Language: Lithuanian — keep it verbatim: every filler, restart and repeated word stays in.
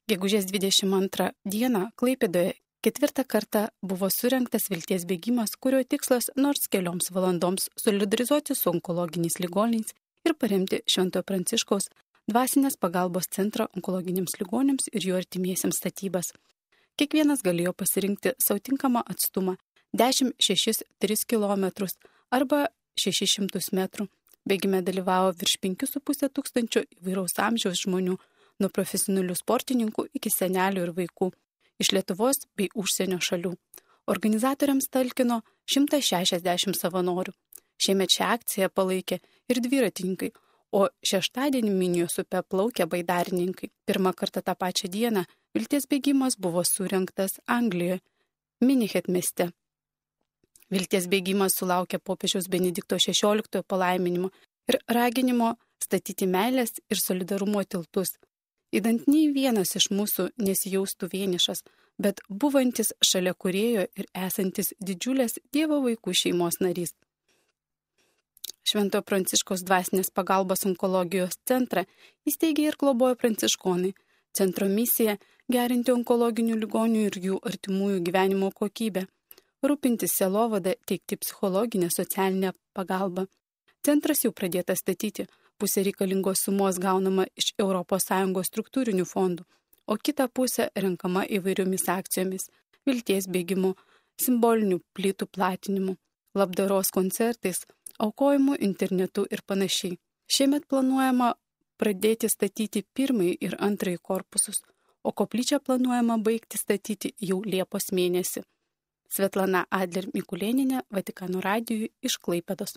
Gegužės dvidešimt antrą dieną Klaipėdoje ketvirtą kartą buvo surengtas vilties bėgimas, kurio tikslas nors kelioms valandoms solidarizuoti su onkologiniais ligoniais ir paremti Šventojo Pranciškaus dvasinės pagalbos centro onkologiniams ligoniams ir jų artimiesiems statybas. Kiekvienas galėjo pasirinkti savo tinkamą atstumą dešimt, šešis, tris kilometrus arba šešis šimtus metrų. Bėgime dalyvavo virš penkių su pusė tūkstančio įvairaus amžiaus žmonių, nuo profesionalių sportininkų iki senelių ir vaikų, iš Lietuvos bei užsienio šalių. Organizatoriams talkino šimtas šešiasdešimt savanorių. Šiemet šią akciją palaikė ir dviratininkai, o šeštadienį Minijos upe plaukė baidarininkai. Pirmą kartą tą pačią dieną vilties bėgimas buvo surengtas Anglijoje, Minihet mieste. Vilties bėgimas sulaukė popiežiaus Benedikto šešioliktojo palaiminimo ir raginimo statyti meilės ir solidarumo tiltus, idant nei vienas iš mūsų nesijaustų vienišas, bet buvantis šalia kūrėjo ir esantis didžiulės Dievo vaikų šeimos narys. Šventojo Pranciškaus dvasinės pagalbos onkologijos centrą įsteigė ir globojo pranciškonai. Centro misija – gerinti onkologinių ligonių ir jų artimųjų gyvenimo kokybę, rūpintis sielovadą, teikti psichologinę socialinę pagalbą. Centras jau pradėtas statyti, pusė reikalingos sumos gaunama iš Europos Sąjungos struktūrinių fondų, o kita pusė renkama įvairiomis akcijomis – vilties bėgimu, simbolinių plytų platinimu, labdaros koncertais, aukojimu internetu ir panašiai. Šiemet planuojama pradėti statyti pirmąjį ir antrąjį korpusus, o koplyčią planuojama baigti statyti jau Liepos mėnesį. Svetlana Adler Mikulėnienė, Vatikano radijui iš Klaipėdos.